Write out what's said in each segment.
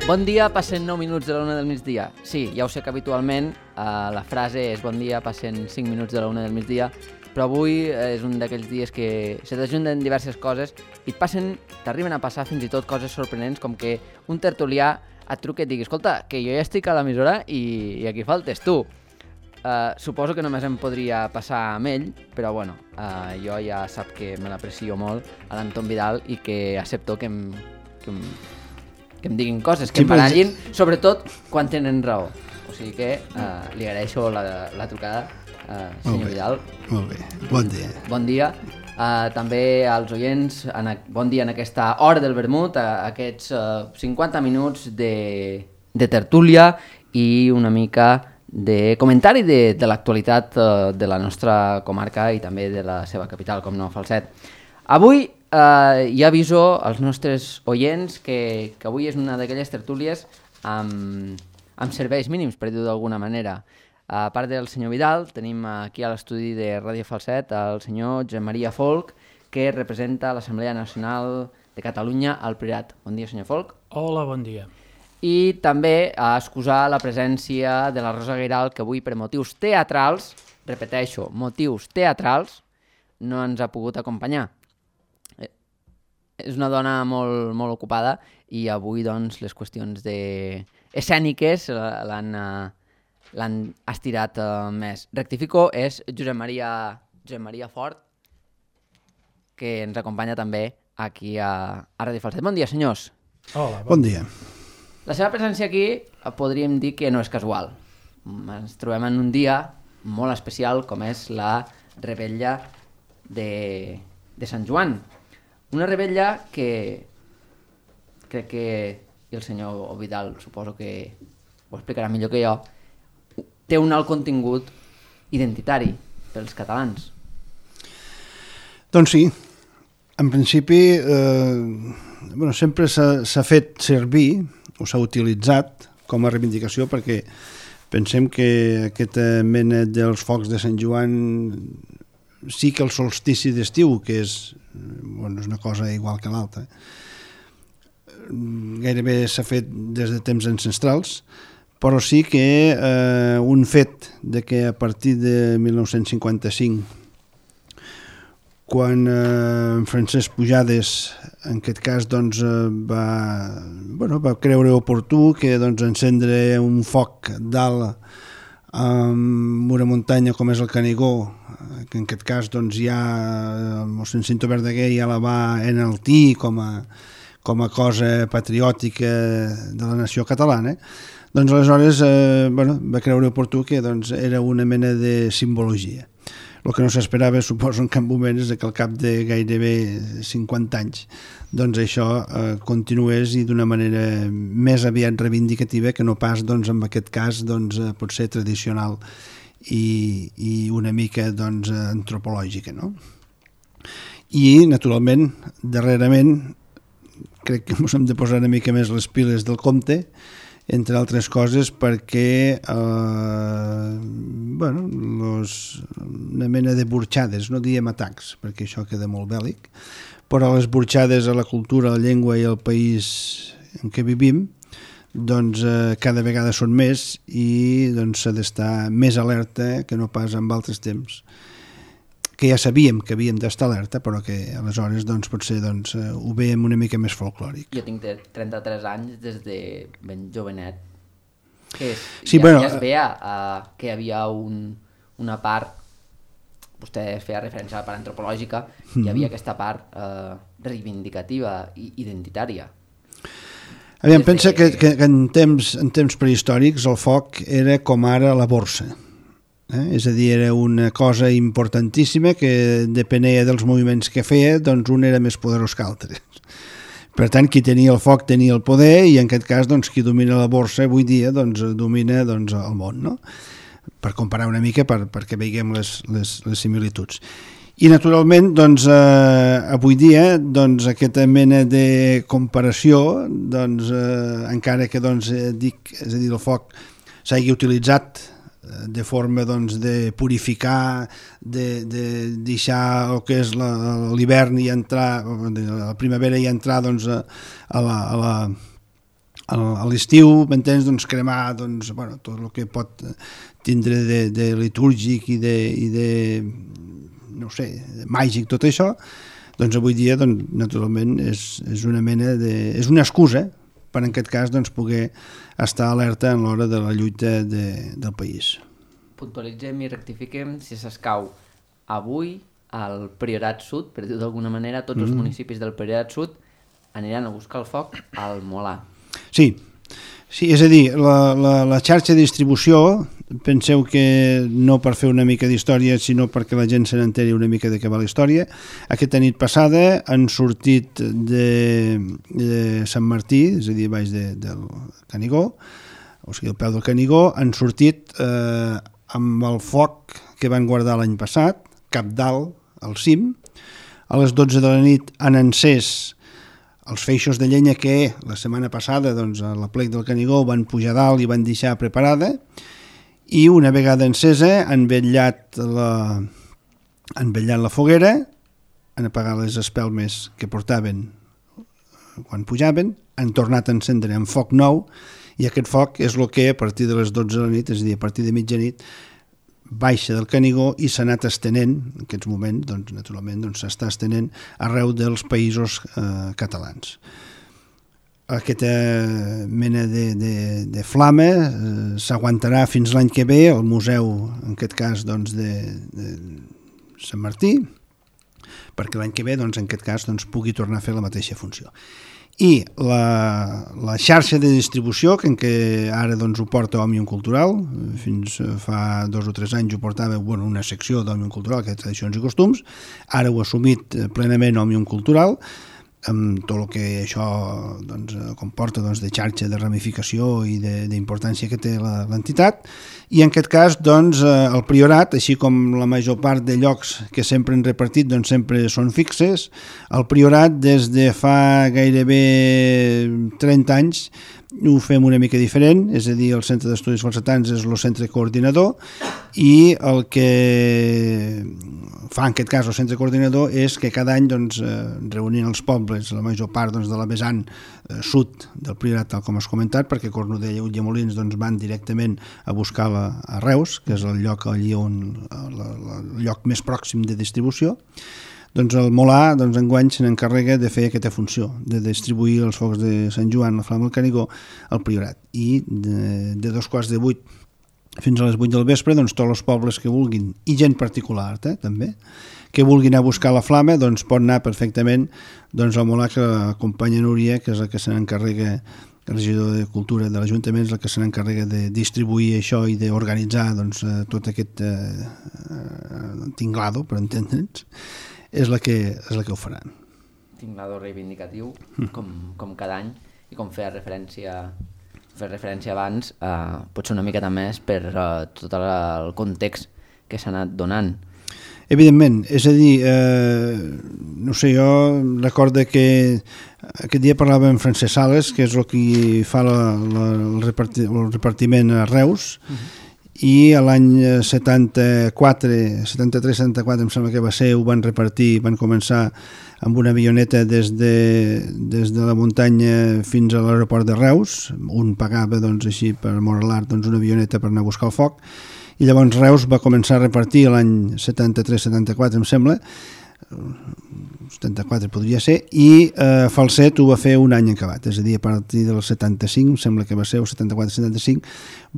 Bon dia, passen 9 minuts de la 1 del migdia. Sí, ja ho sé que habitualment la frase és bon dia, passen 5 minuts de la 1 del migdia, però avui és un d'aquells dies que se t'ajunten diverses coses i t'arriben a passar fins i tot coses sorprenents, com que un tertulià et truca i et digui escolta, que jo ja estic a l'emissora i aquí faltes tu. Suposo que només em podria passar amb ell, però bueno, jo ja sap que me l'aprecio molt a l'Anton Vidal i que accepto que em diguin coses, que em barallin, sobretot quan tenen raó. O sigui que li agraeixo la trucada, senyor Vidal. Molt bé, bon dia. Bon dia. També als oients, bon dia en aquesta hora del vermut, aquests 50 minuts de tertúlia i una mica de comentari de l'actualitat de la nostra comarca i també de la seva capital, com no, Falset. Avui ja aviso als nostres oients que avui és una d'aquelles tertúlies amb serveis mínims, per dir-ho d'alguna manera. A part del senyor Vidal, tenim aquí a l'estudi de Ràdio Falset el senyor Josep Maria Folch, que representa l'Assemblea Nacional de Catalunya al Priorat. Bon dia, senyor Folch. Hola, bon dia. I també a excusar la presència de la Rosa Guiral, que avui per motius teatrals, repeteixo, motius teatrals, no ens ha pogut acompanyar. És una dona molt, molt ocupada i avui doncs, les qüestions escèniques l'han estirat més. Rectifico, és Josep Maria Fort, que ens acompanya també aquí a Ràdio Falset. Bon dia, senyors. Hola, bon dia. La seva presència aquí podríem dir que no és casual. Ens trobem en un dia molt especial com és la revetlla de Sant Joan. Una revetlla que crec que, i el senyor Vidal suposo que ho explicarà millor que jo, té un alt contingut identitari pels catalans. Doncs sí, en principi sempre s'ha fet servir o s'ha utilitzat com a reivindicació perquè pensem que aquesta mena dels focs de Sant Joan sí que el solstici d'estiu, que és una cosa igual que l'altra, gairebé s'ha fet des de temps ancestrals, però sí que un fet de que a partir de 1955, quan Francesc Pujades, en aquest cas, va creure oportú que encendre un foc dalt amb una muntanya com és el Canigó, que en aquest cas ja el mossèn Cinto Verdaguer ja la va enaltir com a cosa patriòtica de la nació catalana, doncs aleshores va creure oportú que era una mena de simbologia. El que no s'esperava, suposo, en cap moment és que al cap de gairebé 50 anys això continués i d'una manera més aviat reivindicativa que no pas en aquest cas potser tradicional i una mica antropològica, no? I naturalment darrerament crec que ens hem de posar una mica més les piles del compte, entre altres coses perquè una mena de burxades, no diem atacs perquè això queda molt bèl·lic, però les burxades a la cultura, a la llengua i al país en què vivim cada vegada són més i s'ha d'estar més alerta que no pas en altres temps, que ja sabíem que havíem d'estar alerta, però que aleshores potser ho veiem una mica més folclòric. Jo tinc 33 anys des de ben jovenet. Sí, ja es veia que hi havia una part, vostè feia referència a la part antropològica, hi havia aquesta part reivindicativa i identitària. Aviam, pensa que en temps prehistòrics el foc era com ara la borsa. És a dir, era una cosa importantíssima que depenia dels moviments que feia, doncs un era més poderós que altre. Per tant, qui tenia el foc tenia el poder i en aquest cas doncs, qui domina la borsa avui dia doncs, domina doncs, el món, no? Per comparar una mica perquè veiem les similituds. I naturalment doncs, avui dia doncs, aquesta mena de comparació doncs, encara que doncs, és a dir, el foc s'hagi utilitzat de forma doncs, de purificar, de deixar el que és l'hivern i entrar, la primavera i entrar doncs, a l'estiu, m'entens? Doncs, cremar doncs, bueno, tot el que pot tindre de litúrgic i de no sé, màgic, tot això, doncs avui dia doncs, naturalment és una mena és una excusa per en aquest cas doncs, poder estar alerta en l'hora de la lluita del país. Puntualitzem i rectifiquem si s'escau avui al Priorat Sud, per dir-ho d'alguna manera, tots els municipis del Priorat Sud aniran a buscar el foc al Molar. Sí, és a dir, la xarxa de distribució, penseu que no per fer una mica d'història, sinó perquè la gent se n'enteri una mica de què va la història. Aquesta nit passada han sortit de Sant Martí, és a dir, baix del Canigó, o sigui, al peu del Canigó, han sortit amb el foc que van guardar l'any passat, cap dalt, al cim. A les 12 de la nit han encès els feixos de llenya que la setmana passada doncs, a la plec del Canigó van pujar dalt i van deixar preparada, i una vegada encesa han vetllat la foguera, han apagat les espelmes que portaven quan pujaven, han tornat a encendre amb foc nou, i aquest foc és el que a partir de les 12 de la nit, és a dir, a partir de mitjanit, baixa del Canigó i s'ha anat estenent, en aquests moments, doncs, naturalment, doncs, s'està estenent arreu dels països catalans. Aquesta mena de flama s'aguantarà fins l'any que ve al museu, en aquest cas, doncs, de Sant Martí, perquè l'any que ve, doncs, en aquest cas, doncs, pugui tornar a fer la mateixa funció. I la xarxa de distribució, que ara doncs, ho porta Òmnium Cultural, fins fa 2 o 3 anys ho portava una secció d'Òmnium Cultural, que és Tradicions i Costums, ara ho ha assumit plenament Òmnium Cultural, amb tot el que això doncs, comporta doncs, de xarxa, de ramificació i d'importància que té l'entitat, i en aquest cas doncs, el Priorat, així com la major part de llocs que sempre han repartit doncs, sempre són fixes, el Priorat des de fa gairebé 30 anys ho fem una mica diferent, és a dir, el Centre d'Estudis Falsetans és el centre coordinador, i el que fa en aquest cas el centre coordinador és que cada any doncs, reunint els pobles, la major part doncs, de la vessant sud del Priorat, tal com has comentat, perquè Cornudella i Ulldemolins doncs, van directament a buscar a Reus, que és el lloc allí el lloc més pròxim de distribució. Doncs el Molar, doncs, enguany se n'encarrega de fer aquesta funció, de distribuir els focs de Sant Joan, la Flama del Canigó, al Priorat. I de 7:15 fins a les 8 del vespre, doncs, tots els pobles que vulguin, i gent particular, també, que vulguin anar a buscar la flama, doncs pot anar perfectament doncs, al Molar, que l'acompanya Núria, que és el que se n'encarrega, el regidor de Cultura de l'Ajuntament, és el que se n'encarrega de distribuir això i d'organitzar doncs, tot aquest tinglado, per entendre'ns, és la que ho faran. Tinglado reivindicatiu, com cada any, i com feia referència abans, potser una miqueta més per tot el context que s'ha anat donant. Evidentment, és a dir, no sé, jo recordo que aquest dia parlava amb Francesc Sales, que és el que fa el repartiment a Reus, i l'any 73-74 em sembla que va ser, ho van repartir, van començar amb una avioneta des de la muntanya fins a l'aeroport de Reus, un pagava doncs, així per amor a l'art doncs, una avioneta per anar a buscar el foc, i llavors Reus va començar a repartir l'any 73-74 em sembla, 74 podria ser, i Falset ho va fer un any acabat, és a dir, a partir del 75, sembla que va ser el 74-75,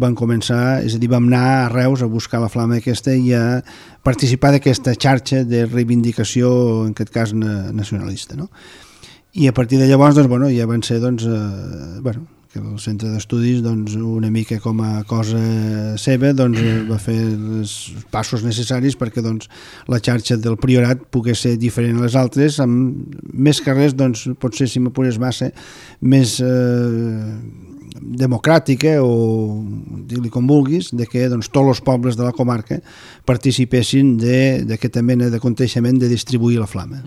van començar, és a dir, vam anar a Reus a buscar la flama aquesta i a participar d'aquesta xarxa de reivindicació, en aquest cas nacionalista, no? I a partir de llavors doncs, bueno, ja van ser que el centre d'estudis una mica com a cosa seva va fer els passos necessaris perquè la xarxa del Priorat pogués ser diferent a les altres, amb més carrers, potser si m'apures massa, més democràtica o dir-li com vulguis, de que tots els pobles de la comarca participessin d'aquesta mena de coneixement de distribuir la flama.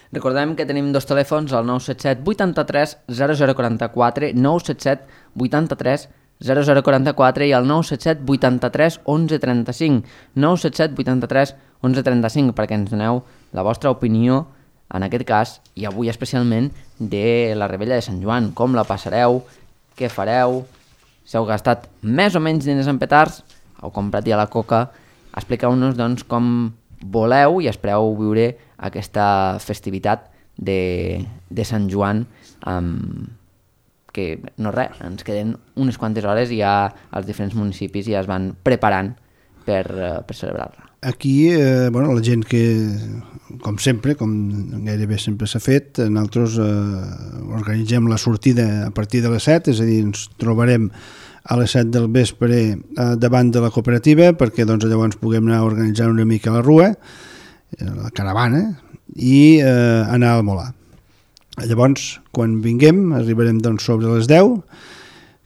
Recordem que tenim dos telèfons, el 977 83 0044, 977 83 0044 i el 977 83 1135, 977 83 1135, perquè ens doneu la vostra opinió, en aquest cas, i avui especialment, de la Revetlla de Sant Joan. Com la passareu? Què fareu? Si heu gastat més o menys diners en petards, heu comprat ja la coca, expliqueu-nos com voleu i espereu viure aquesta festivitat de Sant Joan, que no res, ens queden unes quantes hores i ja els diferents municipis ja es van preparant per celebrar-la. Aquí, la gent que, com sempre, com gairebé sempre s'ha fet, nosaltres organitzem la sortida a partir de les 7, és a dir, ens trobarem a les 7 del vespre davant de la cooperativa perquè llavors puguem anar a organitzar una mica la rua, la caravana, i anar al Molar. Llavors, quan vinguem, arribarem sobre les 10,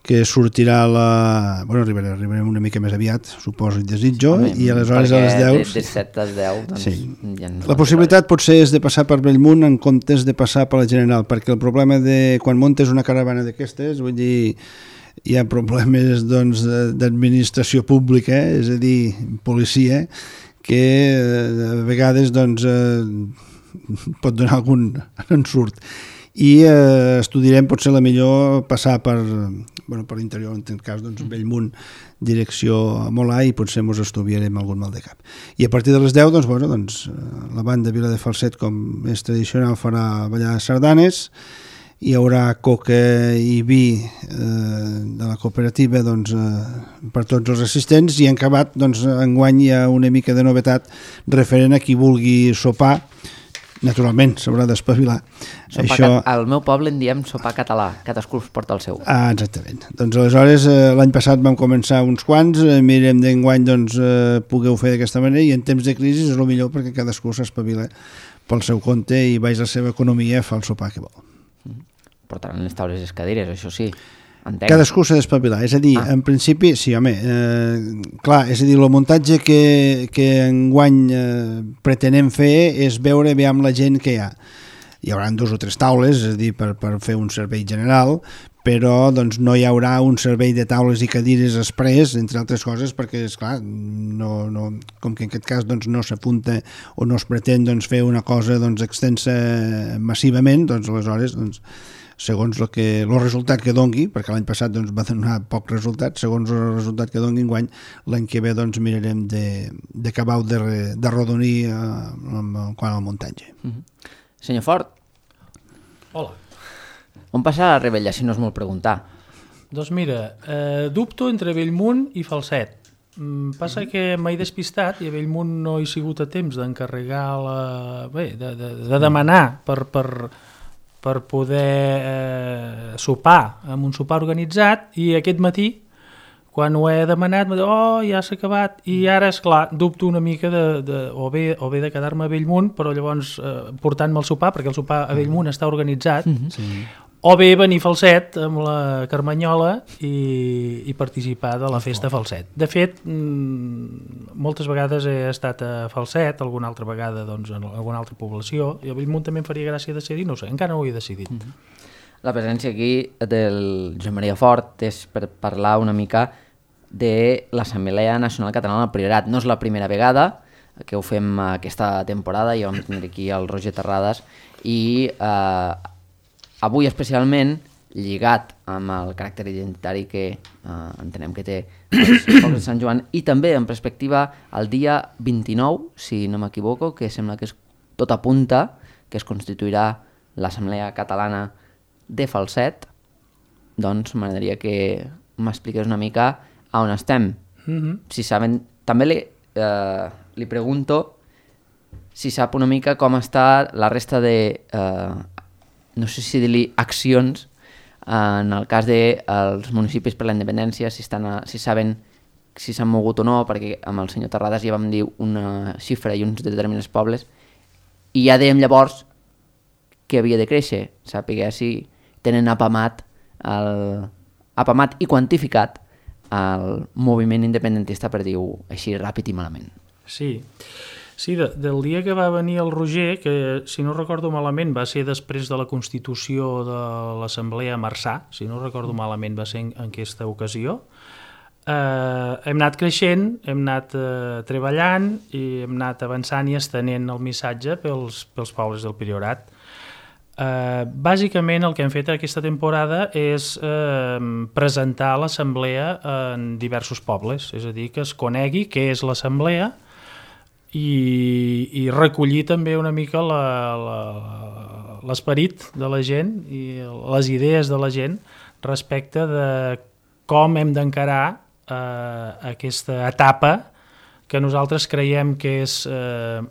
que sortirà arribarem una mica més aviat, suposo i desitjo, i aleshores a les 10... De 7 a 10, sí. Ja la possibilitat potser és de passar per Bellmunt en comptes de passar per la General, perquè el problema de quan muntes una caravana d'aquestes, vull dir, hi ha problemes d'administració pública, és a dir, policia, que a vegades pot donar algun ensurt. I estudiarem potser la millor passar per l'interior, en aquest cas Bellmunt, direcció a Molar, i potser ens estudiarem algun mal de cap. I a partir de les 10 la banda Vila de Falset, com és tradicional, farà ballar sardanes, hi haurà coca i vi de la cooperativa per tots els assistents, i en acabat enguany hi ha una mica de novetat referent a qui vulgui sopar. Naturalment, s'haurà d'espavilar. Al meu poble en diem sopar català, cadascú es porta el seu. Exactament. Aleshores, l'any passat vam començar uns quants, mirem d'enguany pugueu fer d'aquesta manera, i en temps de crisi és el millor perquè cadascú s'espavila pel seu compte i baix la seva economia fa el sopar que vol. Portaran les taules i les cadires, això sí. Entenc. Cadascú s'ha d'espavilar, és a dir, en principi, sí, home, clar, és a dir, el muntatge que enguany pretenem fer és veure bé amb la gent que hi ha. Hi haurà 2 o 3 taules, és a dir, per fer un servei general, però no hi haurà un servei de taules i cadires express, entre altres coses, perquè, esclar, com que en aquest cas no s'apunta o no es pretén fer una cosa extensa massivament, aleshores, segons el resultat que dongui, perquè l'any passat va donar poc resultat, segons el resultat que dongui enguany, l'any que ve mirarem d'acabar de rodonir quant al muntatge. Senyor Fort. Hola. On passarà la Revetlla, si no és molt preguntar? Doncs mira, dubto entre Bellmunt i Falset. Passa que m'he despistat i a Bellmunt no he sigut a temps d'encarregar de demanar per poder sopar amb un sopar organitzat, i aquest matí, quan ho he demanat, m'he dit, ja s'ha acabat, i ara, esclar, dubto una mica o bé de quedar-me a Bellmunt, però llavors portant-me el sopar, perquè el sopar a Bellmunt està organitzat, o bé venir a Falset amb la Carmanyola i participar de la festa Falset. De fet, moltes vegades he estat a Falset, alguna altra vegada en alguna altra població, i a Bellmunt també em faria gràcia decidir, no ho sé, encara no ho he decidit. La presència aquí del Josep Maria Fort és per parlar una mica de l'Assemblea Nacional Catalana del Priorat. No és la primera vegada que ho fem aquesta temporada, ja vam tenir aquí el Roger Terrades, i avui especialment, lligat amb el caràcter identitari que entenem que té els pobles de Sant Joan, i també en perspectiva el dia 29, si no m'equivoco, que sembla que és tot apunta, que es constituirà l'Assemblea Catalana de Falset, doncs m'agradaria que m'expliqués una mica a on estem. Si saben, també li pregunto si sap una mica com està la resta de no sé si dir-li accions, en el cas dels municipis per la independència, si saben si s'han mogut o no, perquè amb el senyor Terrades ja vam dir una xifra i uns determinats pobles, i ja dèiem llavors que havia de créixer, sàpiga si tenen apamat i quantificat el moviment independentista, per dir-ho així ràpid i malament. Sí, del dia que va venir el Roger, que si no recordo malament va ser després de la constitució de l'Assemblea a Marçà, si no recordo malament va ser en aquesta ocasió, hem anat creixent, hem anat treballant i hem anat avançant i estenent el missatge pels pobles del Priorat. Bàsicament el que hem fet aquesta temporada és presentar l'assemblea en diversos pobles, és a dir, que es conegui què és l'assemblea i recollir també una mica l'esperit de la gent i les idees de la gent respecte de com hem d'encarar aquesta etapa que nosaltres creiem que és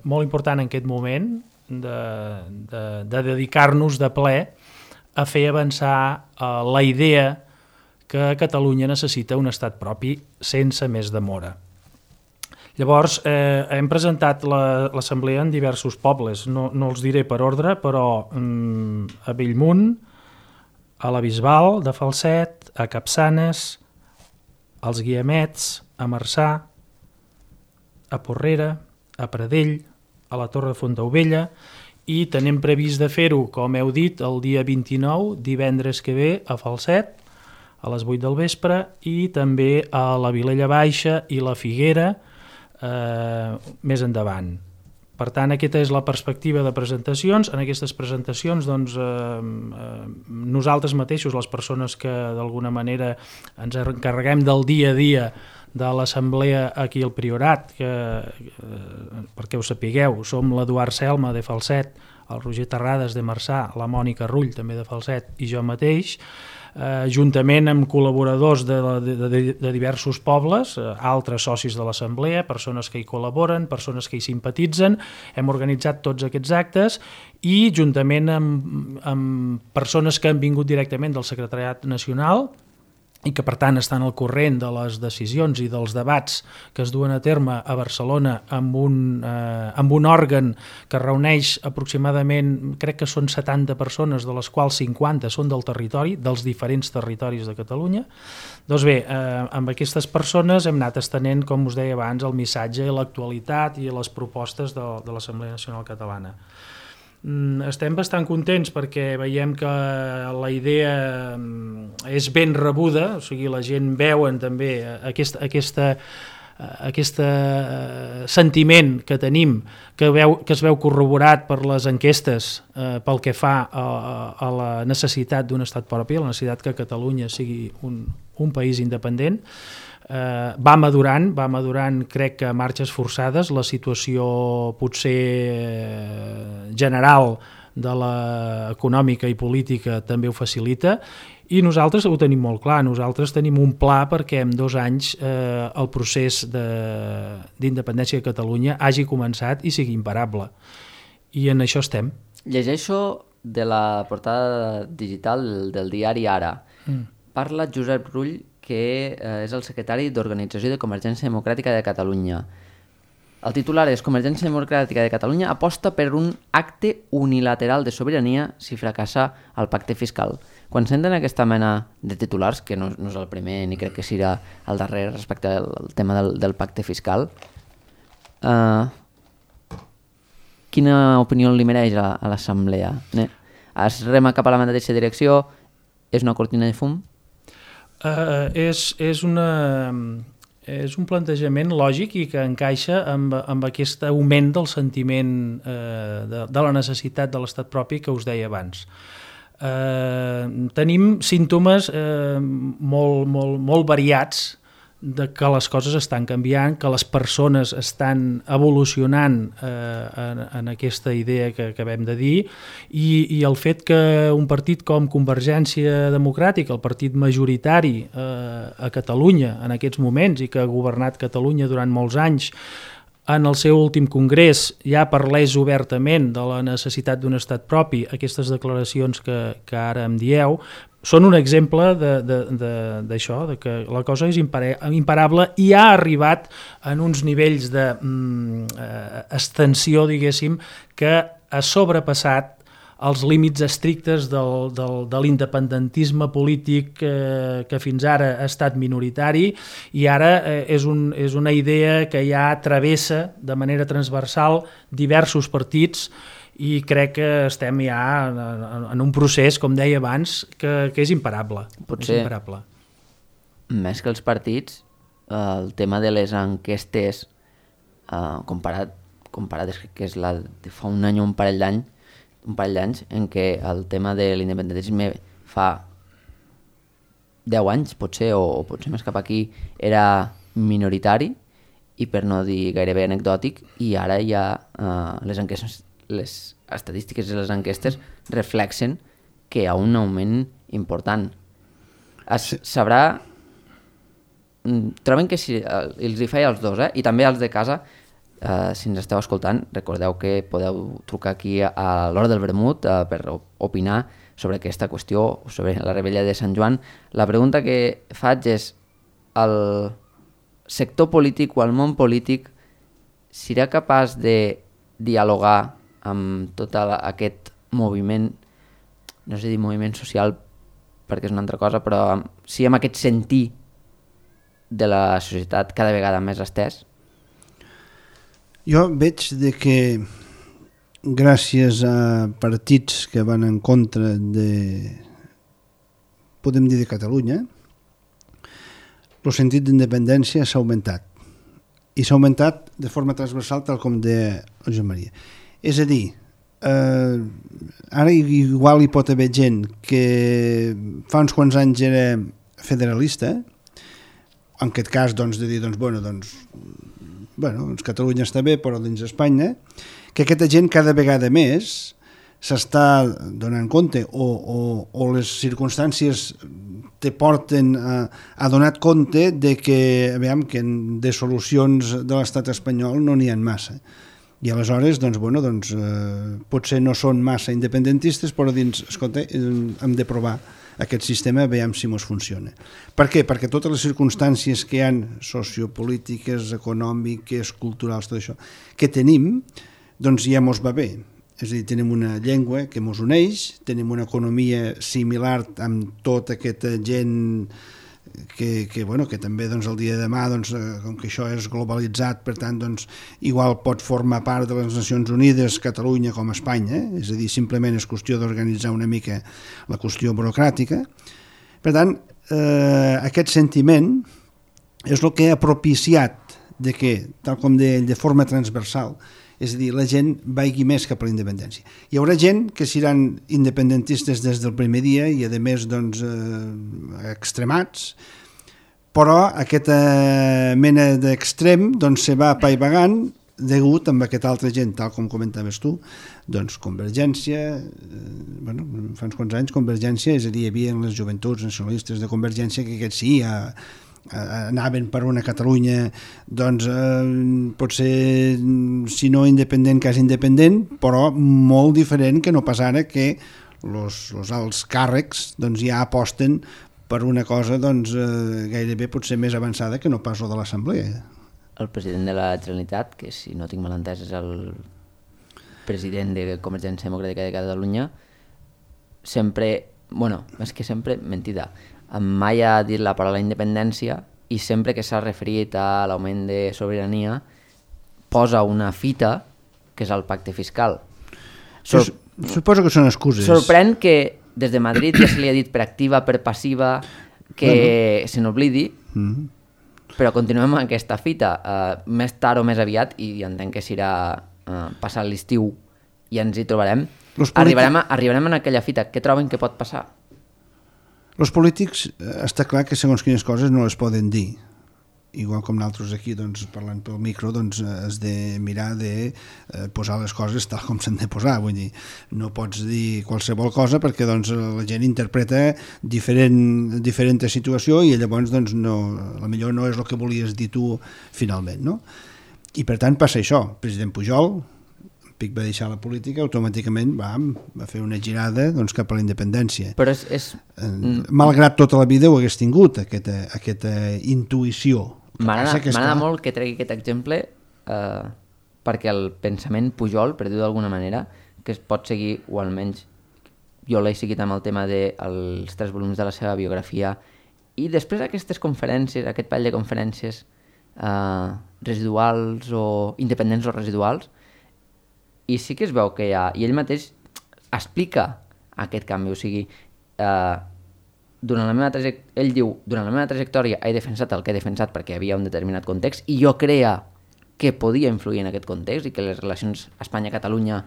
molt important en aquest moment de dedicar-nos de ple a fer avançar la idea que Catalunya necessita un estat propi sense més demora. Llavors, hem presentat l'assemblea en diversos pobles, no els diré per ordre, però a Bellmunt, a la Bisbal de Falset, a Capçanes, als Guiamets, a Marçà, a Porrera, a Pradell, a la Torre de Fontaubella, i tenim previst de fer-ho, com heu dit, el dia 29, divendres que ve, a Falset, a les 8 del vespre, i també a la Vilella Baixa i la Figuera, més endavant. Per tant, aquesta és la perspectiva de presentacions. En aquestes presentacions, doncs, nosaltres mateixos, les persones que d'alguna manera ens encarreguem del dia a dia de l'assemblea aquí al Priorat, perquè ho sapigueu, som l'Eduard Selma de Falset, el Roger Terrades de Marçà, la Mònica Rull també de Falset i jo mateix, juntament amb col·laboradors de diversos pobles, altres socis de l'assemblea, persones que hi col·laboren, persones que hi simpatitzen. Hem organitzat tots aquests actes i juntament amb persones que han vingut directament del Secretariat Nacional i que per tant estan al corrent de les decisions i dels debats que es duen a terme a Barcelona amb un òrgan que reuneix aproximadament, crec que són 70 persones, de les quals 50 són del territori, dels diferents territoris de Catalunya. Doncs bé, amb aquestes persones hem anat estenent, com us deia abans, el missatge i l'actualitat i les propostes de l'Assemblea Nacional Catalana. Estem bastant contents perquè veiem que la idea és ben rebuda, o sigui, la gent veuen també aquest sentiment que tenim, que es veu corroborat per les enquestes pel que fa a la necessitat d'un estat propi, a la necessitat que Catalunya sigui un país independent. Va madurant, crec que a marxes forçades. La situació potser general de l'econòmica i política també ho facilita i nosaltres ho tenim molt clar. Nosaltres tenim un pla perquè en 2 anys el procés d'independència de Catalunya hagi començat i sigui imparable. I en això estem. Llegeixo de la portada digital del diari Ara. Parla Josep Rull, que és el secretari d'Organització de Convergència Democràtica de Catalunya. El titular és: Convergència Democràtica de Catalunya aposta per un acte unilateral de sobirania si fracassa el pacte fiscal. Quan senten aquesta mena de titulars, que no és el primer ni crec que serà el darrer respecte al tema del pacte fiscal, quina opinió li mereix a l'Assemblea? Es rema cap a la mateixa direcció? És una cortina de fum? És un plantejament lògic i que encaixa amb aquest augment del sentiment de la necessitat de l'estat propi que us deia abans. Tenim símptomes molt variats de que les coses estan canviant, que les persones estan evolucionant en aquesta idea que acabem de dir i el fet que un partit com Convergència Democràtica, el partit majoritari a Catalunya en aquests moments i que ha governat Catalunya durant molts anys, en el seu últim congrés ja parlés obertament de la necessitat d'un estat propi, aquestes declaracions que ara em dieu, són un exemple d'això, de que la cosa és imparable i ha arribat en uns nivells d'extensió, diguéssim, que ha sobrepassat els límits estrictes de l'independentisme polític que fins ara ha estat minoritari i ara és una idea que ja travessa de manera transversal diversos partits i crec que estem ja en un procés, com deia abans, que és imparable. Potser, és imparable. Més que els partits, el tema de les enquestes, comparat que és la de fa un any o un parell d'anys, en què el tema de l'independentisme fa 10 anys, potser, o potser més cap aquí, era minoritari i per no dir gairebé anecdòtic, i ara ja les estadístiques i les enquestes reflexen que hi ha un augment important. Sabrà... Troben que si els hi feia als dos, i també als de casa, si ens esteu escoltant, recordeu que podeu trucar aquí a l'hora del vermut per opinar sobre aquesta qüestió, sobre la rebella de Sant Joan. La pregunta que faig és: el sector polític o el món polític serà capaç de dialogar amb tot aquest moviment, no sé dir moviment social perquè és una altra cosa, però sí amb aquest sentir de la societat cada vegada més estès? Jo veig de que gràcies a partits que van en contra podem dir de Catalunya, el sentit d'independència s'ha augmentat. I s'ha augmentat de forma transversal, tal com deia el Joan Maria. És a dir, ara igual hi pot haver gent que fa uns quants anys era federalista, en aquest cas de dir, Catalunya està bé, però dins Espanya, que aquesta gent cada vegada més s'està donant compte o les circumstàncies te porten a donar compte de que, de solucions de l'estat espanyol no n'hi ha massa. I aleshores, potser no són massa independentistes, però escolta, hem de provar aquest sistema, veiem si ens funciona. Per què? Perquè totes les circumstàncies que hi ha sociopolítiques, econòmiques, culturals, tot això, que tenim, ja ens va bé. És a dir, tenim una llengua que ens uneix, tenim una economia similar amb tota aquesta gent que també el dia de demà, com que això és globalitzat, per tant, igual pot formar part de les Nacions Unides, Catalunya com Espanya, és a dir, simplement és qüestió d'organitzar una mica la qüestió burocràtica. Per tant, aquest sentiment és el que ha propiciat de que, tal com deia ell, de forma transversal, és a dir, la gent vagi més cap a la independència. Hi haurà gent que seran independentistes des del primer dia i, a més, extremats, però aquesta mena d'extrem se va apaivagant degut amb aquesta altra gent, tal com comentaves tu, Convergència, fa uns quants anys Convergència, és a dir, hi havia les joventuts nacionalistes de Convergència que aquests sí, anaven per una Catalunya potser si no independent, quasi independent, però molt diferent que no pas ara que els alts càrrecs ja aposten per una cosa gairebé potser més avançada que no pas de l'Assemblea. El president de la Generalitat, que si no tinc mal entès és el president de Convergència Democràtica de Catalunya, sempre, més que sempre, mentida, mai ha dit la paraula independència i sempre que s'ha referit a l'augment de sobirania posa una fita que és el pacte fiscal. Suposo que són excuses. Sorprèn que des de Madrid ja se li ha dit per activa, per passiva, que se n'oblidi, però continuem amb aquesta fita. Més tard o més aviat, i entenc que serà passar l'estiu i ens hi trobarem, arribarem a aquella fita. Què troben que pot passar? Els polítics, està clar que segons quines coses no les poden dir. Igual com nosaltres aquí, parlant pel micro, has de mirar de posar les coses tal com s'han de posar. Vull dir, no pots dir qualsevol cosa perquè la gent interpreta diferent situació i llavors la millor no és el que volies dir tu finalment, no? I per tant passa això, el president Pujol, Pic va deixar la política, automàticament va fer una girada doncs, cap a la independència. Però malgrat tota la vida ho hagués tingut, aquesta intuïció. M'agrada molt que tregui aquest exemple perquè el pensament Pujol, per dir-ho d'alguna manera, que es pot seguir, o almenys jo l'he seguit amb el tema dels 3 volums de la seva biografia, i després aquestes conferències, aquest parell de conferències residuals o independents o residuals, i sí que es veu que hi ha, i ell mateix explica aquest canvi, o sigui, ell diu, durant la meva trajectòria he defensat el que he defensat perquè hi havia un determinat context i jo creia que podia influir en aquest context i que les relacions Espanya-Catalunya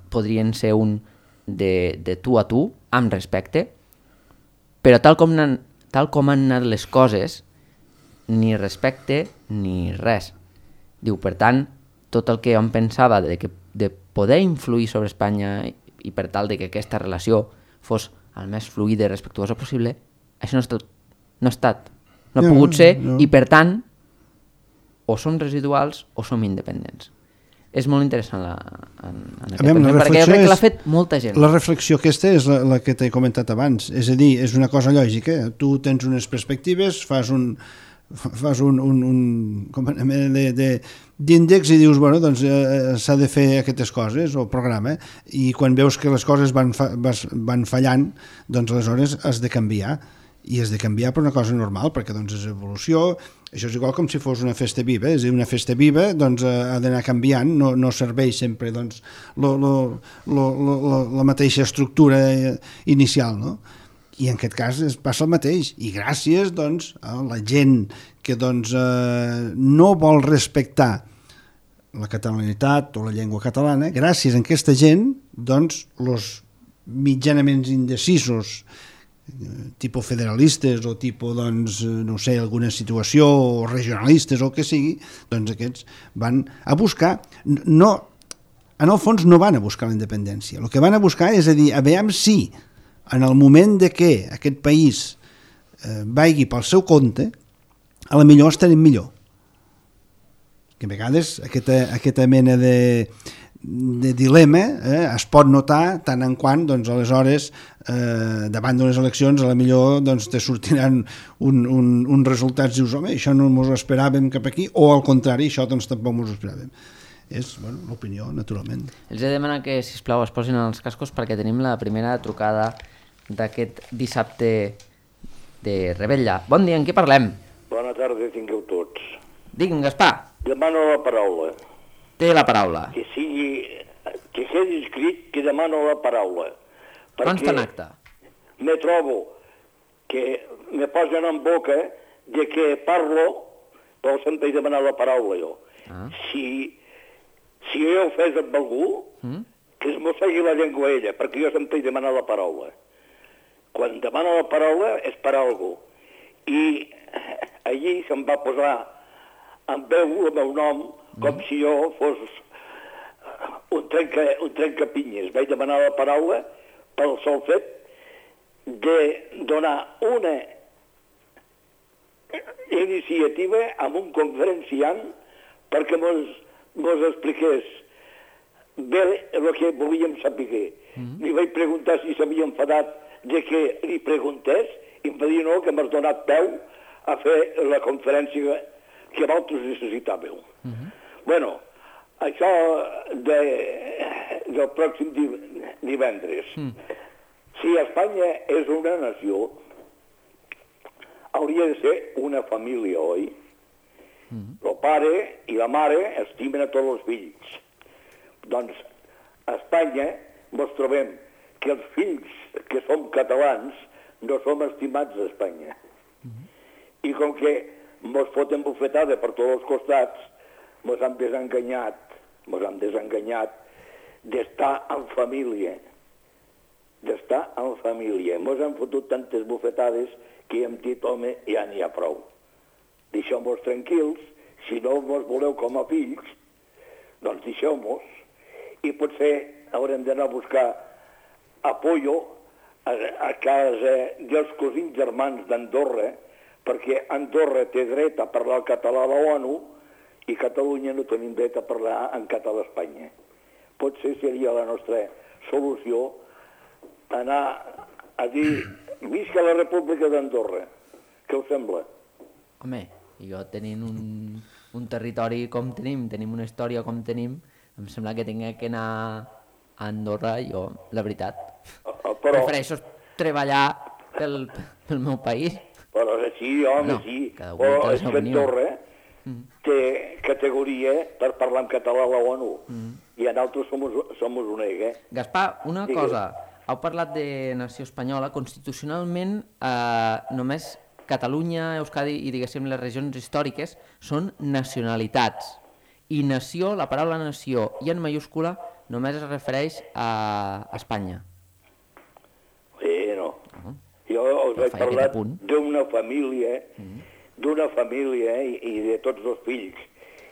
podrien ser un de tu a tu, amb respecte, però tal com han anat les coses, ni respecte ni res. Diu, per tant, tot el que em pensava de poder influir sobre Espanya i per tal de que aquesta relació fos el més fluida i respectuosa possible, això no ha estat. No ha pogut ser i per tant o som residuals o som independents. És molt interessant en aquest pensament, perquè jo crec que l'ha fet molta gent. La reflexió aquesta és la que t'he comentat abans, és a dir, és una cosa lògica, tu tens unes perspectives, fas un d'índex i dius, bueno, doncs s'ha de fer aquestes coses, o programa, i quan veus que les coses van fallant, doncs aleshores has de canviar, i has de canviar per una cosa normal, perquè doncs és evolució. Això és igual com si fos una festa viva, és a dir, una festa viva doncs ha d'anar canviant, no serveix sempre doncs la mateixa estructura inicial, no? I en aquest cas passa el mateix, i gràcies doncs a la gent que doncs no vol respectar la catalanitat o la llengua catalana, gràcies a aquesta gent doncs els mitjanament indecisos, tipus federalistes o tipus, doncs, no sé, alguna situació, o regionalistes o el que sigui, doncs aquests van a buscar, no, en el fons no van a buscar la independència, el que van a buscar és a dir, a veure si en el moment de que aquest país vagi pel seu compte, a la millor estarem millor. Que a vegades aquesta mena de dilema es pot notar tant en quant doncs, aleshores davant d'unes eleccions a la millor doncs, te sortiran uns resultats, dius, home, això no ens ho esperàvem cap aquí, o al contrari, això doncs, tampoc ens ho esperàvem. És l'opinió, naturalment. Els he de demanar que, sisplau, es posin els cascos perquè tenim la primera trucada d'aquest dissabte de Revetlla. Bon dia, en què parlem? Bona tarda, tingueu tots. Digue'm, Gaspar. Demano la paraula. Té la paraula. Que quedi escrit que demano la paraula. Consta en acte. Me trobo que me posen en boca de que parlo, però sempre he demanat la paraula jo. Si jo ho fes amb algú, que es mossegui la llengua ella, perquè jo sempre he demanat la paraula. Quan demana la paraula és per algú. I allí se'm va posar en veu el meu nom com si jo fos un trencapinyes. Vaig demanar la paraula pel sol fet de donar una iniciativa amb un conferenciant perquè mos expliqués bé el que volíem saber. Li vaig preguntar si s'havia enfadat de que li preguntés i em va dir no, que m'has donat peu a fer la conferència que vosaltres necessitàveu. Bueno, això del pròxim divendres. Si Espanya és una nació, hauria de ser una família, oi? El pare i la mare estimen a tots els fills. Doncs a Espanya ens trobem que els fills que som catalans no som estimats a Espanya. I com que ens foten bufetada per tots els costats, ens han desenganyat d'estar en família. Ens han fotut tantes bufetades que hem dit, home, ja n'hi ha prou. Deixeu-nos tranquils, si no ens voleu com a fills, doncs deixeu-nos. I potser haurem d'anar a buscar apoyo a casa dels cosins germans d'Andorra, perquè Andorra té dret a parlar el català a l'ONU i Catalunya no tenim dret a parlar en català a Espanya. Potser seria la nostra solució anar a dir visca la República d'Andorra. Què us sembla? Home, jo tenint un territori com tenim una història com tenim, em sembla que tinc que anar a Andorra, jo, la veritat. Prefereixo treballar pel meu país. Però sí, home, no, sí. Però és que Andorra té categoria per parlar en català a l'ONU. I nosaltres som un egg, Gaspar, una cosa. Heu parlat de nació espanyola. Constitucionalment, només Catalunya, Euskadi i, diguéssim, les regions històriques són nacionalitats. I nació, la paraula nació i en mayúscula, només es refereix a Espanya. No. Jo us he parlat d'una família, i de tots els fills.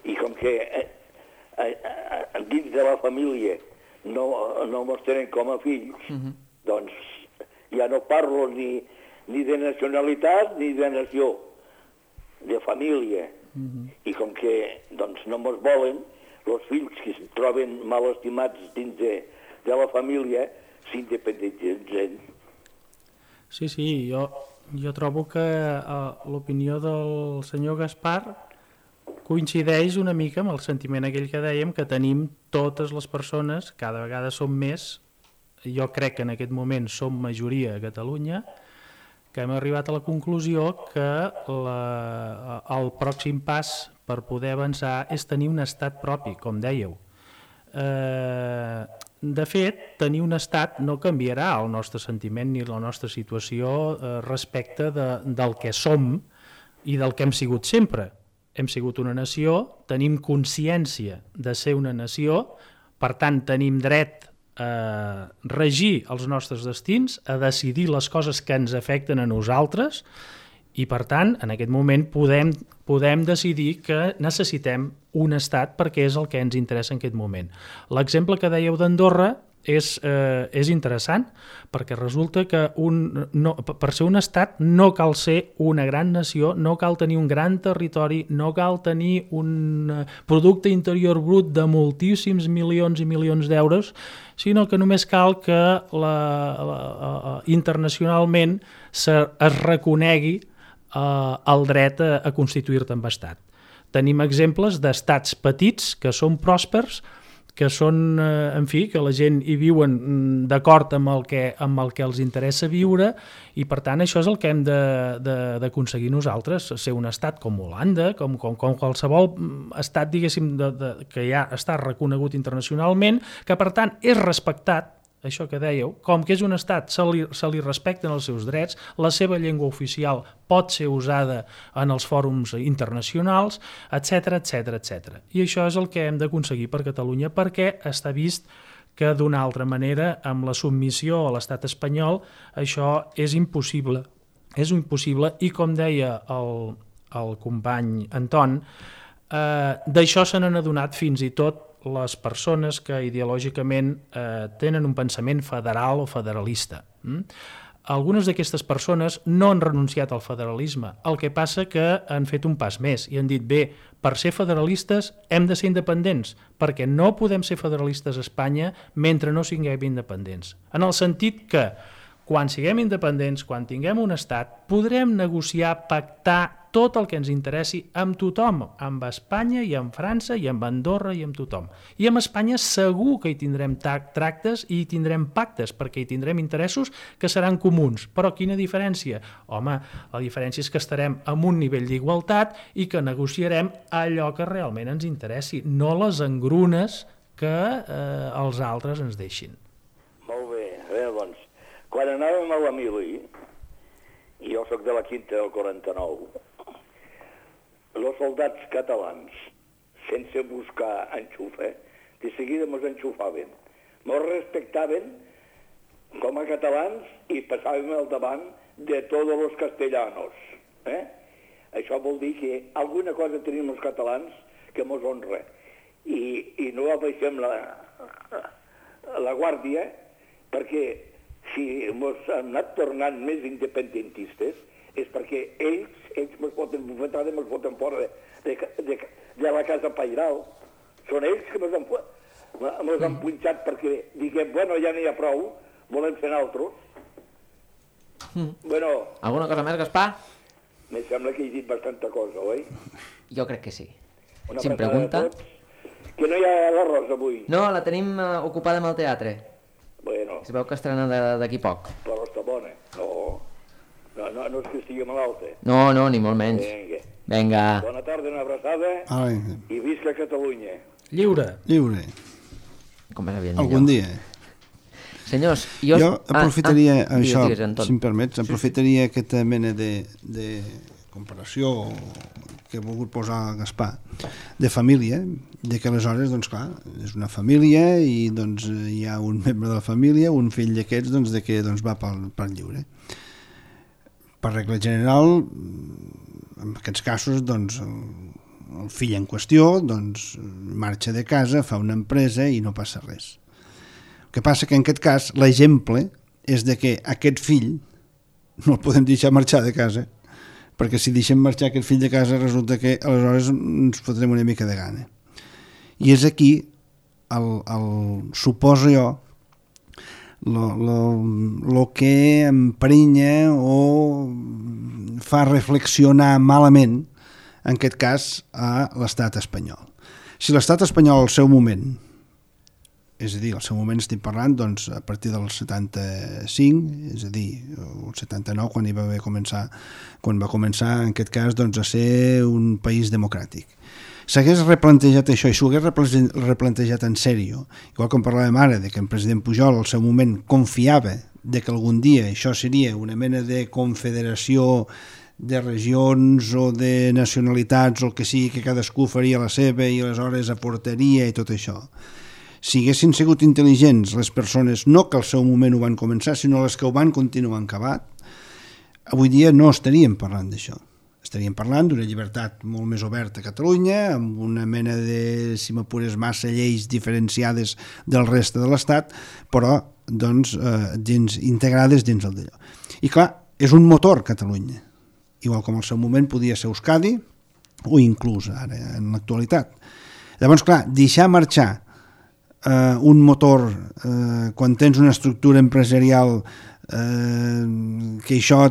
I com que dins de la família no mos tenen com a fills, doncs ja no parlo ni de nacionalitat ni de nació, de família. I com que doncs, no mos volen, els fills que es troben mal estimats dins de la família s'independitzen. Sí, jo trobo que l'opinió del senyor Gaspar coincideix una mica amb el sentiment aquell que dèiem, que tenim totes les persones, cada vegada som més, jo crec que en aquest moment som majoria a Catalunya, que hem arribat a la conclusió que el pròxim pas per poder avançar és tenir un estat propi, com dèieu. De fet, tenir un estat no canviarà el nostre sentiment ni la nostra situació respecte del que som i del que hem sigut sempre. Hem sigut una nació, tenim consciència de ser una nació, per tant tenim dret a regir els nostres destins, a decidir les coses que ens afecten a nosaltres i, per tant, en aquest moment podem decidir que necessitem un estat perquè és el que ens interessa en aquest moment. L'exemple que dèieu d'Andorra és interessant perquè resulta que per ser un estat no cal ser una gran nació, no cal tenir un gran territori, no cal tenir un producte interior brut de moltíssims milions i milions d'euros, sinó que només cal que internacionalment es reconegui el dret a constituir-te en estat. Tenim exemples d'estats petits que són pròspers, que són, en fi, que la gent hi viuen d'acord amb el que els interessa viure i, per tant, això és el que hem d'aconseguir nosaltres, ser un estat com Holanda, com qualsevol estat, diguéssim, que ja està reconegut internacionalment, que, per tant, és respectat, això que dèieu, com que és un estat, se li respecten els seus drets, la seva llengua oficial pot ser usada en els fòrums internacionals, etc etc. I això és el que hem d'aconseguir per Catalunya, perquè està vist que d'una altra manera, amb la submissió a l'estat espanyol, això és impossible. És impossible i, com deia el company Anton, d'això se n'han adonat fins i tot les persones que ideològicament tenen un pensament federal o federalista. Algunes d'aquestes persones no han renunciat al federalisme, el que passa que han fet un pas més i han dit, bé, per ser federalistes hem de ser independents, perquè no podem ser federalistes a Espanya mentre no siguem independents. En el sentit que quan siguem independents, quan tinguem un estat, podrem negociar, pactar tot el que ens interessi amb tothom, amb Espanya i amb França i amb Andorra i amb tothom. I amb Espanya segur que hi tindrem tractes i hi tindrem pactes, perquè hi tindrem interessos que seran comuns. Però quina diferència? Home, la diferència és que estarem en un nivell d'igualtat i que negociarem allò que realment ens interessi, no les engrunes que els altres ens deixin. Molt bé, doncs, quan anàvem a la mili, i jo soc de la quinta del 49, els soldats catalans, sense buscar enxufe, de seguida mos enxufaven. Mos respectaven com a catalans i passàvem al davant de tots els castellanos. Això vol dir que alguna cosa tenim els catalans que mos honra. I no abaixem la guàrdia, perquè si mos han anat tornant més independentistes és perquè ells me'ls foten bufetada i me'ls foten fora de la casa pairal. Són ells que me'ls han punxat perquè diguem, bueno, ja n'hi ha prou, volem fer altres. Bueno... Alguna cosa més, Gaspar? Me sembla que he dit bastanta cosa, oi? Jo crec que sí. Una Si em pregunta... Que no hi ha l'arròs avui. No, la tenim ocupada amb el teatre. Bueno. Es veu que estrena d'aquí poc. Però està bona. No és que estigui malalta. No, ni molt menys. Vinga. Bona tarda, una abraçada. I visca Catalunya. Lliure. Com més aviat millor. Algun dia. Senyors, jo aprofitaria això, digues, si em permets, aprofitaria aquesta mena de comparació que he volgut posar Gaspar, de família, de que aleshores, doncs clar, és una família i doncs hi ha un membre de la família, un fill d'aquests, doncs, de que doncs, va pel lliure. Per regla general, en aquests casos, doncs, el fill en qüestió doncs, marxa de casa, fa una empresa i no passa res. El que passa que en aquest cas l'exemple és de que aquest fill no el podem deixar marxar de casa, perquè si deixem marxar aquest fill de casa resulta que aleshores ens fotrem una mica de gana. I és aquí suposo jo el que emprenya o fa reflexionar malament en aquest cas a l'estat espanyol. Si l'estat espanyol al seu moment, és a dir, al seu moment estic parlant doncs, a partir del 75, és a dir, el 79, quan va començar en aquest cas doncs, a ser un país democràtic. S'hagués replantejat això i s'ho hagués replantejat en sèrio, igual com parlàvem ara, de que el president Pujol al seu moment confiava de que algun dia això seria una mena de confederació de regions o de nacionalitats o el que sigui, que cadascú faria la seva i aleshores aportaria i tot això. Si haguessin sigut intel·ligents les persones, no que al seu moment ho van començar, sinó les que ho van continuar acabat, avui dia no estaríem parlant d'això. Estaríem parlant d'una llibertat molt més oberta a Catalunya, amb una mena de, si m'apures, massa lleis diferenciades del reste de l'Estat, però doncs, integrades dins el d'allò. I clar, és un motor Catalunya, igual com al seu moment podia ser Euskadi o inclús ara en l'actualitat. Llavors, clar, deixar marxar un motor quan tens una estructura empresarial que això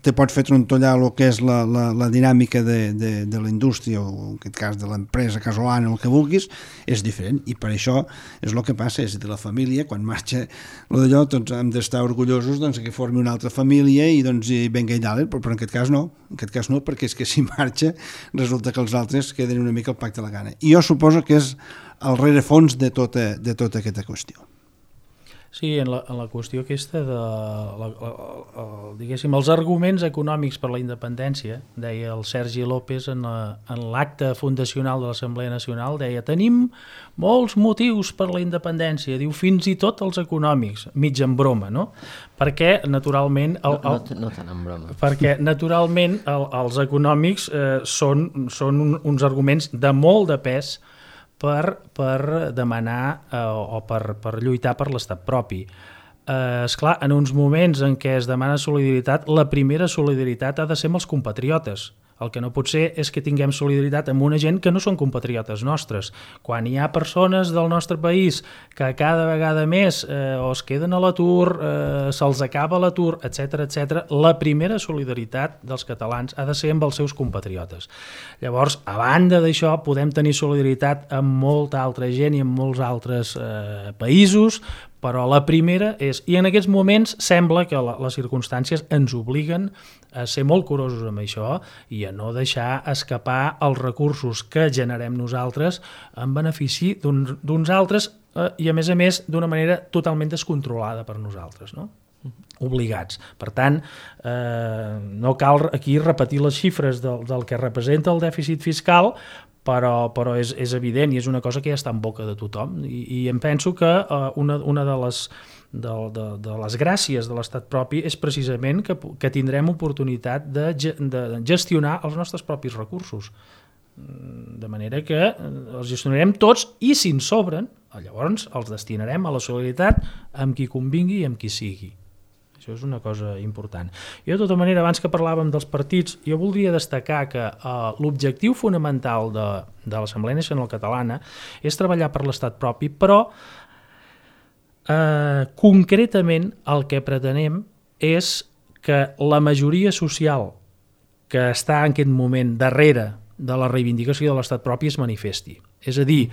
te pot fer trontollar el que és la dinàmica de la indústria o en aquest cas de l'empresa casolana, el que vulguis, és diferent i per això és el que passa, és a dir, la família quan marxa d'allò doncs hem d'estar orgullosos doncs, que formi una altra família i doncs venga i dalt, però en aquest cas no, perquè és que si marxa resulta que els altres queden una mica al pacte de la gana i jo suposo que és el rerefons de tota aquesta qüestió. Sí, en la qüestió aquesta diguéssim, els arguments econòmics per la independència, deia el Sergi López en l'acte fundacional de l'Assemblea Nacional, deia, tenim molts motius per la independència, diu, fins i tot els econòmics, mig en broma, no? Perquè, naturalment... No tant en broma. Perquè, naturalment, els econòmics són uns arguments de molt de pes per demanar o per lluitar per l'estat propi. Esclar, en uns moments en què es demana solidaritat, la primera solidaritat ha de ser amb els compatriotes. El que no pot ser és que tinguem solidaritat amb una gent que no són compatriotes nostres. Quan hi ha persones del nostre país que cada vegada més o es queden a l'atur, se'ls acaba l'atur, etc., la primera solidaritat dels catalans ha de ser amb els seus compatriotes. Llavors, a banda d'això, podem tenir solidaritat amb molta altra gent i amb molts altres països, però la primera és, i en aquests moments sembla que les circumstàncies ens obliguen a ser molt curosos amb això i a no deixar escapar els recursos que generem nosaltres en benefici d'uns altres i a més d'una manera totalment descontrolada per nosaltres, no? Obligats. Per tant, no cal aquí repetir les xifres del que representa el dèficit fiscal, però és evident i és una cosa que ja està en boca de tothom i em penso que una de les gràcies de l'estat propi és precisament que tindrem oportunitat de gestionar els nostres propis recursos, de manera que els gestionarem tots i si en sobren, llavors els destinarem a la solidaritat amb qui convingui i amb qui sigui. Això és una cosa important. Jo, de tota manera, abans que parlàvem dels partits, jo voldria destacar que l'objectiu fonamental de l'Assemblea Nacional Catalana és treballar per l'estat propi, però concretament el que pretenem és que la majoria social que està en aquest moment darrere de la reivindicació de l'estat propi es manifesti. És a dir,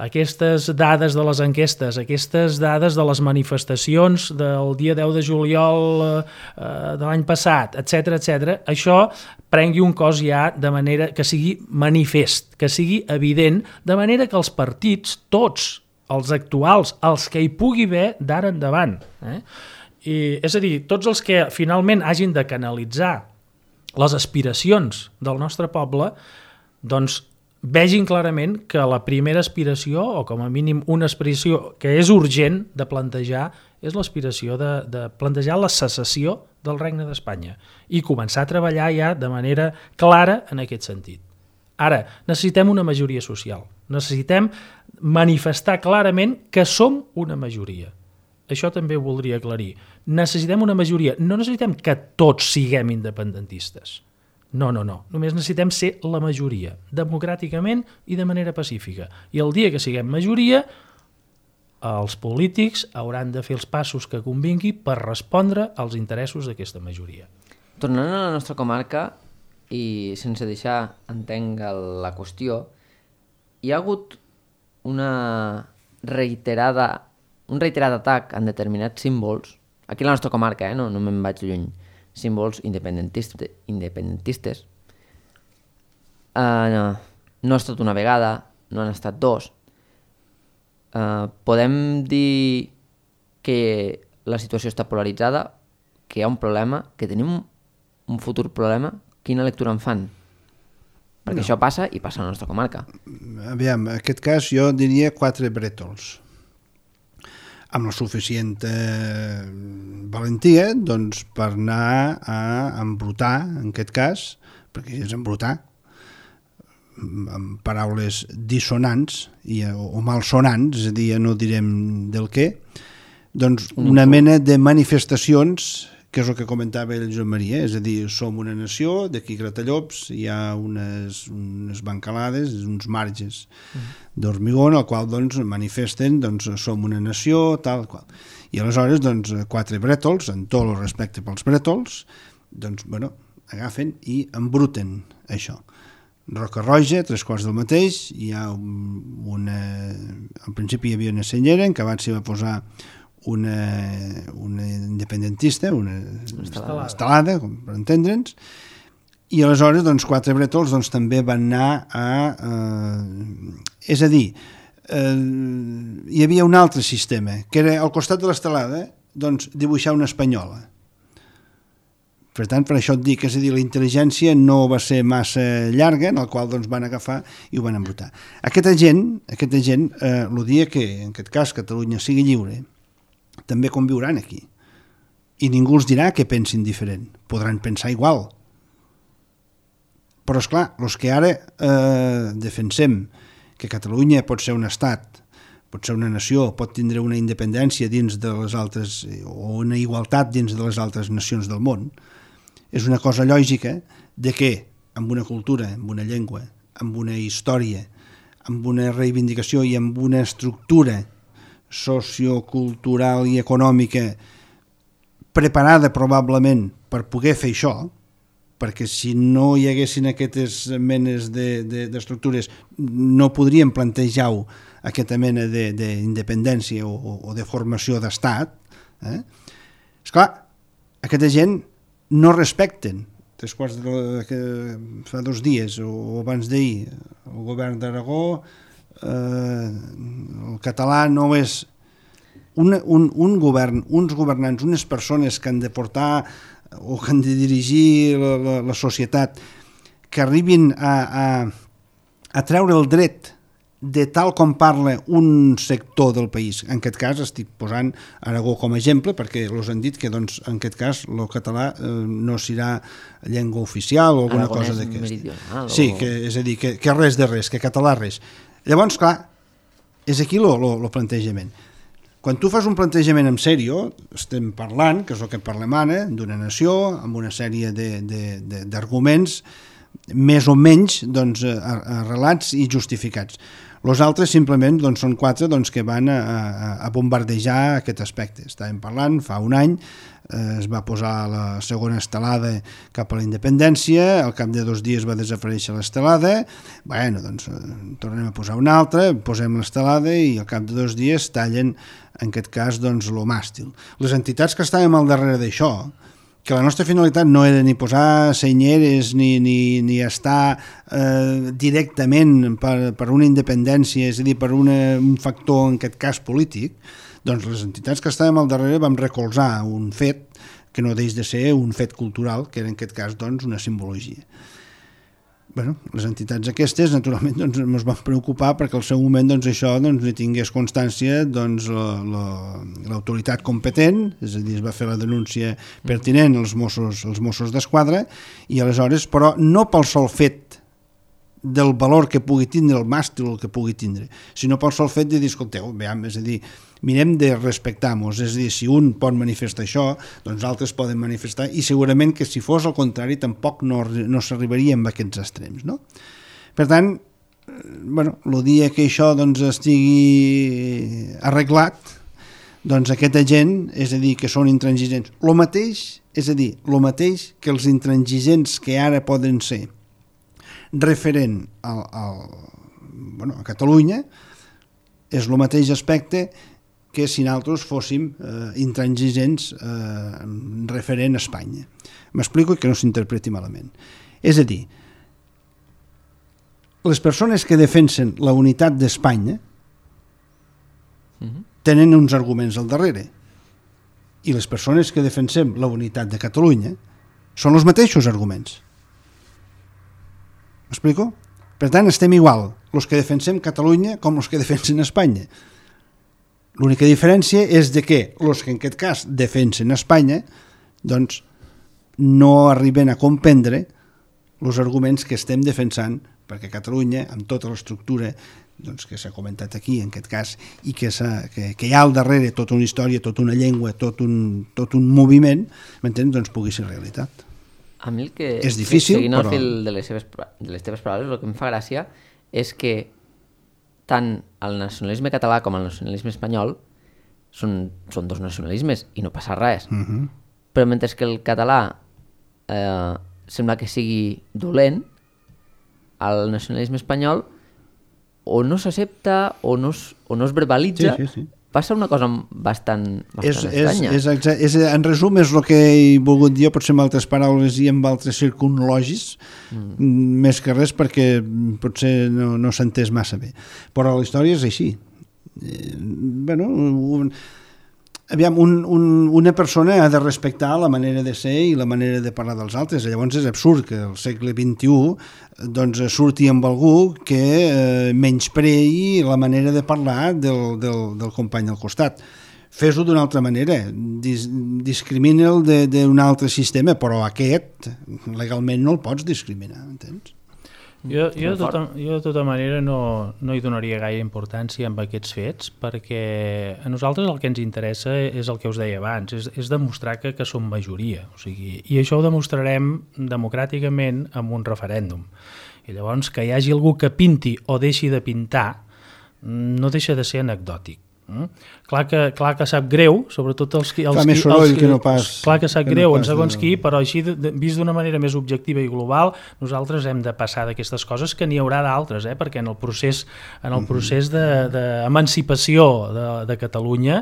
aquestes dades de les enquestes, aquestes dades de les manifestacions del dia 10 de juliol de l'any passat, etc., això prengui un cos ja de manera que sigui manifest, que sigui evident, de manera que els partits, tots els actuals, els que hi pugui haver d'ara endavant, és a dir, tots els que finalment hagin de canalitzar les aspiracions del nostre poble, doncs vegin clarament que la primera aspiració, o com a mínim una aspiració que és urgent de plantejar, és l'aspiració de plantejar la secessió del Regne d'Espanya i començar a treballar ja de manera clara en aquest sentit. Ara, necessitem una majoria social, necessitem manifestar clarament que som una majoria. Això també ho voldria aclarir. Necessitem una majoria, no necessitem que tots siguem independentistes. No. Només necessitem ser la majoria, democràticament i de manera pacífica. I el dia que siguem majoria, els polítics hauran de fer els passos que convingui per respondre als interessos d'aquesta majoria. Tornant a la nostra comarca, i sense deixar entenc la qüestió, hi ha hagut un reiterat atac en determinats símbols, aquí a la nostra comarca, no me'n vaig lluny, símbols independentistes. No ha estat una vegada, no han estat dos. Podem dir que la situació està polaritzada, que hi ha un problema, que tenim un futur problema. Quina lectura en fan? Perquè això passa i passa a la nostra comarca. Aviam, en aquest cas jo diria 4 brètols. Amb la suficient valentia doncs, per anar a embrutar, en aquest cas, perquè és embrutar, amb paraules dissonants o malsonants, és a dir, no direm del què, doncs una mena de manifestacions, que és el que comentava el Joan Maria, és a dir, som una nació, d'aquí Gratallops hi ha unes bancalades, uns marges d'hormigó, en el qual doncs, manifesten doncs, som una nació, tal qual. I aleshores, doncs, 4 brètols, en tot el respecte pels brètols, doncs, bueno, agafen i embruten això. Roca Roja, 3/4 del mateix, hi ha al principi hi havia una senyera en què abans s'hi va posar una independentista, una estelada, per entendre'ns, i aleshores doncs, 4 brètols doncs, també van anar a... és a dir, hi havia un altre sistema, que era al costat de l'estelada doncs, dibuixar una espanyola. Per tant, per això et dic, és a dir, la intel·ligència no va ser massa llarga, en el qual doncs, van agafar i ho van embrutar. Aquesta gent, el dia que, en aquest cas, Catalunya sigui lliure, també conviuran aquí. I ningú els dirà que pensin diferent. Podran pensar igual. Però, esclar, els que ara defensem que Catalunya pot ser un estat, pot ser una nació, pot tindre una independència dins de les altres, o una igualtat dins de les altres nacions del món, és una cosa lògica de que amb una cultura, amb una llengua, amb una història, amb una reivindicació i amb una estructura sociocultural i econòmica preparada probablement per poder fer això, perquè si no hi haguessin aquestes menes d'estructures no podríem plantejar aquesta mena d'independència o de formació d'estat. Esclar, aquesta gent no respecten, fa 2 dies o abans d'ahir, el govern d'Aragó, el català no és un govern, uns governants, unes persones que han de portar o que han de dirigir la societat, que arribin a treure el dret de tal com parla un sector del país. En aquest cas estic posant Aragó com a exemple perquè els han dit que doncs, en aquest cas el català no serà llengua oficial o alguna cosa d'aquesta. Sí, és a dir, que res de res, que català res. Llavors, clar, és aquí el plantejament. Quan tu fas un plantejament en sèrio, estem parlant, que és el que parlem ara, d'una nació amb una sèrie d'arguments més o menys arrelats i justificats. Els altres simplement són 4 que van a bombardejar aquest aspecte. Estàvem parlant, fa un any es va posar la segona estelada cap a la independència, al cap de 2 dies va desaparèixer l'estelada, tornem a posar una altra, posem l'estelada i al cap de 2 dies tallen, en aquest cas, lo màstil. Les entitats que estàvem al darrere d'això, que la nostra finalitat no era ni posar senyeres ni estar directament per una independència, és a dir, per un factor, en aquest cas, polític, doncs les entitats que estàvem al darrere vam recolzar un fet que no deix de ser un fet cultural, que era en aquest cas una simbologia. Les entitats aquestes, naturalment, ens van preocupar perquè al seu moment això ni tingués constància l'autoritat competent, és a dir, es va fer la denúncia pertinent als Mossos d'Esquadra, i aleshores, però no pel sol fet del valor que pugui tindre el màstil o el que pugui tindre, sinó pel sol fet de dir, escolteu, és a dir, mirem de respectar-nos, és a dir, si un pot manifestar això, doncs altres poden manifestar, i segurament que si fos al contrari tampoc no s'arribaria a aquests extrems, no? Per tant, el dia que això estigui arreglat, aquesta gent, és a dir, que són intransigents, el mateix que els intransigents que ara poden ser referent a Catalunya, és el mateix aspecte que si nosaltres fóssim intransigents referent a Espanya. M'explico i que no s'interpreti malament. És a dir, les persones que defensen la unitat d'Espanya tenen uns arguments al darrere, i les persones que defensem la unitat de Catalunya són els mateixos arguments. M'explico? Per tant, estem igual, els que defensem Catalunya com els que defensen Espanya. L'única diferència és de que els que en aquest cas defensen Espanya doncs no arriben a comprendre els arguments que estem defensant, perquè Catalunya, amb tota l'estructura que s'ha comentat aquí, en aquest cas, i que hi ha al darrere tota una història, tota una llengua, tot un moviment, m'entens? Doncs pugui ser realitat. A mi el que, és difícil, seguint però... el fil de les teves paraules, el que em fa gràcia és que tant el nacionalisme català com el nacionalisme espanyol són 2 nacionalismes i no passa res. Però mentre que el català sembla que sigui dolent, el nacionalisme espanyol o no s'accepta o no es verbalitza. Sí. Passa una cosa bastant estranya. En resum, és el que he volgut dir, potser amb altres paraules i amb altres circunlogis, més que res perquè potser no s'ha entès massa bé. Però la història és així. Una persona ha de respectar la manera de ser i la manera de parlar dels altres. Llavors és absurd que al segle XXI surti amb algú que menysprei la manera de parlar del company al costat. Fes-ho d'una altra manera, discrimina'l d'un altre sistema, però aquest legalment no el pots discriminar, entens? Jo de tota manera no hi donaria gaire importància amb aquests fets, perquè a nosaltres el que ens interessa és el que us deia abans, és demostrar que som majoria, o sigui, i això ho demostrarem democràticament amb un referèndum. I llavors que hi hagi algú que pinti o deixi de pintar no deixa de ser anecdòtic. Clar que sap greu, sobretot fa més soroll que no pas. Clar que sap greu en segons qui, però així vist d'una manera més objectiva i global, nosaltres hem de passar d'aquestes coses, que n'hi haurà d'altres, perquè en el procés d'emancipació de Catalunya,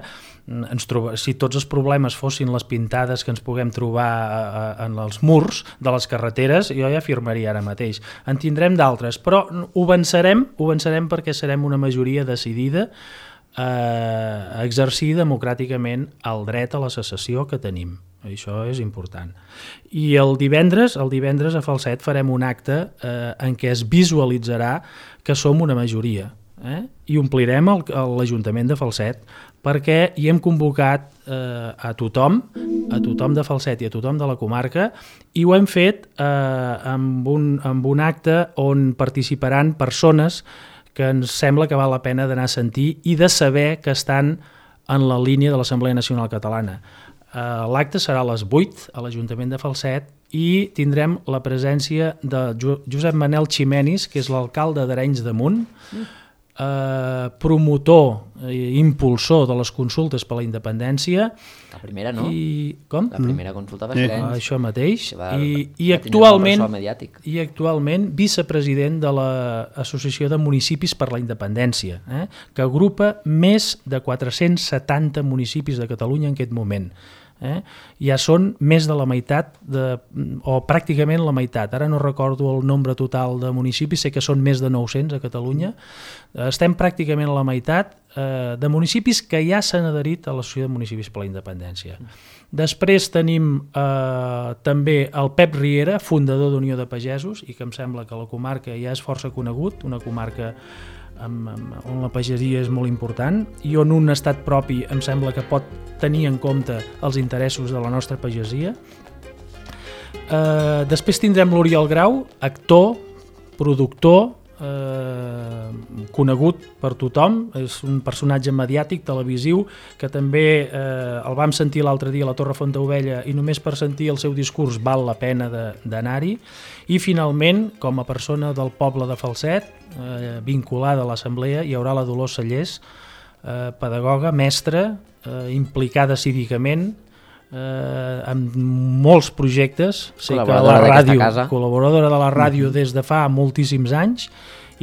si tots els problemes fossin les pintades que ens puguem trobar en els murs de les carreteres, jo ja afirmaria ara mateix. En tindrem d'altres, però ho vencerem perquè serem una majoria decidida a exercir democràticament el dret a la secessió que tenim. Això és important. I el divendres a Falset farem un acte en què es visualitzarà que som una majoria, i omplirem l'Ajuntament de Falset, perquè hi hem convocat a tothom de Falset i a tothom de la comarca, i ho hem fet amb un acte on participaran persones que ens sembla que val la pena d'anar a sentir i de saber que estan en la línia de l'Assemblea Nacional Catalana. L'acte serà a les 8 a l'Ajuntament de Falset i tindrem la presència de Josep Manel Ximenis, que és l'alcalde d'Arenys de Munt, promotor i impulsor de les consultes per la independència. La primera, no? Com? La primera consulta va ser Arenys. Això mateix. I actualment vicepresident de l'Associació de Municipis per la Independència, que agrupa més de 470 municipis de Catalunya en aquest moment. Ja són més de la meitat, o pràcticament la meitat. Ara no recordo el nombre total de municipis, sé que són més de 900 a Catalunya. Estem pràcticament a la meitat de municipis que ja s'han adherit a l'Associació de Municipis per la Independència. Després tenim també el Pep Riera, fundador d'Unió de Pagesos, i que em sembla que la comarca ja és força conegut, una comarca on la pagesia és molt important i on un estat propi em sembla que pot tenir en compte els interessos de la nostra pagesia. Després tindrem l'Oriol Grau, actor, productor, conegut per tothom, és un personatge mediàtic, televisiu, que també el vam sentir l'altre dia a la Torre Fontaubella i només per sentir el seu discurs val la pena d'anar-hi. I finalment, com a persona del poble de Falset, vinculada a l'Assemblea, hi haurà la Dolors Sallés, pedagoga, mestra, implicada cívicament, amb molts projectes, sé que la ràdio, col·laboradora de la ràdio des de fa moltíssims anys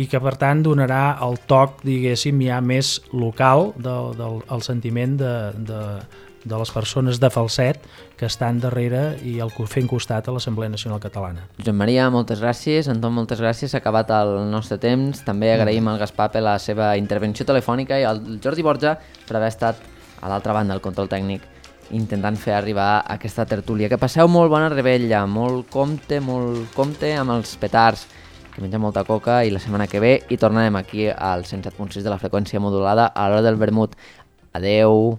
i que per tant donarà el toc, diguéssim, ja més local del sentiment de les persones de Falset que estan darrere i fent costat a l'Assemblea Nacional Catalana. Josep Maria, moltes gràcies. Anton, moltes gràcies. S'ha acabat el nostre temps. També agraïm al Gaspar per la seva intervenció telefònica i al Jordi Borja per haver estat a l'altra banda del control tècnic intentant fer arribar aquesta tertúlia. Que passeu molt bona rebella, molt compte amb els petards, que mengem molta coca i la setmana que ve hi tornarem aquí al 107.6 de la freqüència modulada a l'hora del vermut. Adeu!